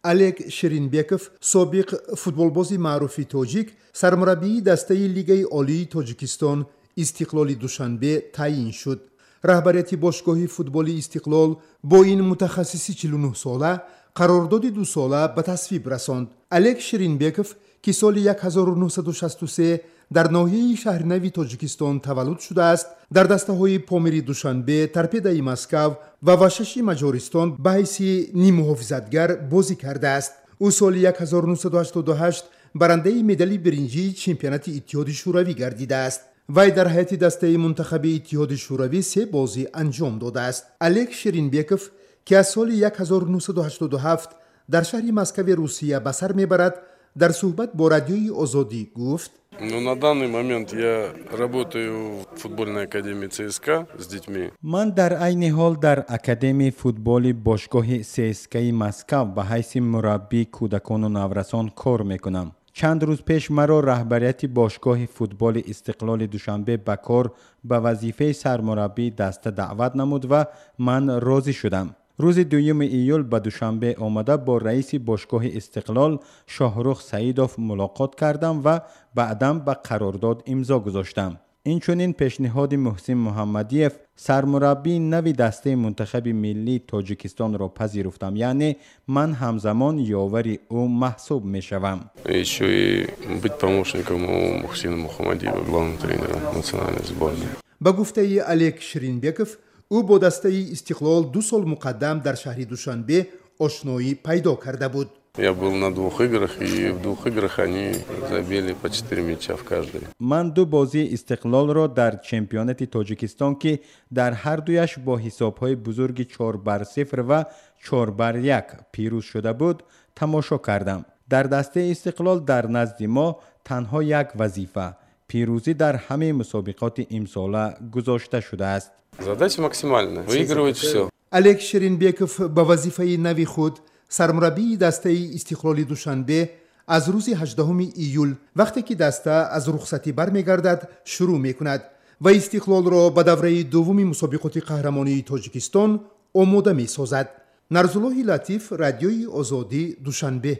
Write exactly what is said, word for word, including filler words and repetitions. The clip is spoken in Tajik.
Олег Ширинбеков, собиқ футболбози маъруфи тоҷик, сармураббии дастаи Лигаи Олии Тоҷикистон Истиқлоли Душанбе таъин шуд. Раҳбарияти бошгоҳи футболи Истиқлол бо ин мутахассиси чилу нӯҳ сола қарордоди дусола ба тасвиб расонд. Олег Ширинбеков, ки соли ҳазору нӯҳсаду шасту се дар ноҳияи Шаҳринави Тоҷикистон таваллуд шудааст, дар дастаҳои Помири Душанбе, Торпедаи Москав ва Вашаши Маҷористон ба ҳайси ниммуҳофизатгар бозӣ кардааст. Ӯ соли ҳазору нӯҳсаду ҳаштоду ҳашт барандаи медали биринҷии чемпионати Иттиҳоди Шӯравӣ гардидааст. Вай дар ҳайати дастаи мунтахаби Иттиҳоди Шӯравӣ се бозӣ анҷом додааст. Олег Ширинбеков, ки аз соли ҳазору нӯҳсаду ҳаштоду ҳафт дар шаҳри Москави Русия ба сар мебарад, дар суҳбат бо Радиои Озодӣ гуфт: Ну, на данный момент я работаю в футбольной академии ЦСКА с детьми. Ман дар айни ҳол дар Академияи футболи бошгоҳи ЦСКАи Москав ба ҳайси мураббии кӯдакону наврасон кор мекунам. Чанд рӯз пеш маро раҳбарияти бошгоҳи футболи Истиқлоли Душанбе ба кор ба вазифаи сармураббии даста даъват намуд ва ман розӣ шудам. Рӯзи дуюми июл ба Душанбе омада, бо раиси бошгоҳи Истиқлол Шоҳрух Саидов мулоқот кардам ва баъдан ба қарордод имзо гузоштам. Инчунин пешниҳоди Муҳсин Муҳаммадиев, сармураббии нави дастаи мунтахаби миллии Тоҷикистонро пазируфтам, яъне ман ҳамзамон ёвари ӯ маҳсуб мешавам. Еще и быть помощником у Мухсина Мухаммадиева, главного тренера национальной сборной. Ба гуфтаи Олег Ширинбеков, ӯ бо дастаи Истиқлол ду сол муқаддам дар шаҳри Душанбе ошноӣ пайдо карда буд. Я был на двух играх, и в двух играх они забили по четыре мяча в каждой. Ман ду бозии Истиқлолро дар чемпионати Тоҷикистон, ки дар ҳар дуяш бо ҳисобҳои бузурги чор бар сифр ва чор бар як пирӯз шуда буд, тамошо кардам. Дар дастаи Истиқлол дар назди мо танҳо як вазифа — пирӯзӣ дар ҳамаи мусобиқоти имсола гузошта шудааст. Задача максимальная. Выигрывать все. Олег Ширинбеков ба вазифаи нави худ, сармураббии дастаи Истиқлоли Душанбе, аз рӯзи ҳаждаҳуми июл, вақте ки даста аз рухсатӣ бармегардад, шурӯъ мекунад ва Истиқлолро ба давраи дуввуми мусобиқоти қаҳрамонии Тоҷикистон омода месозад. Нарзуллоҳи Латиф, Радиои Озодӣ, Душанбе.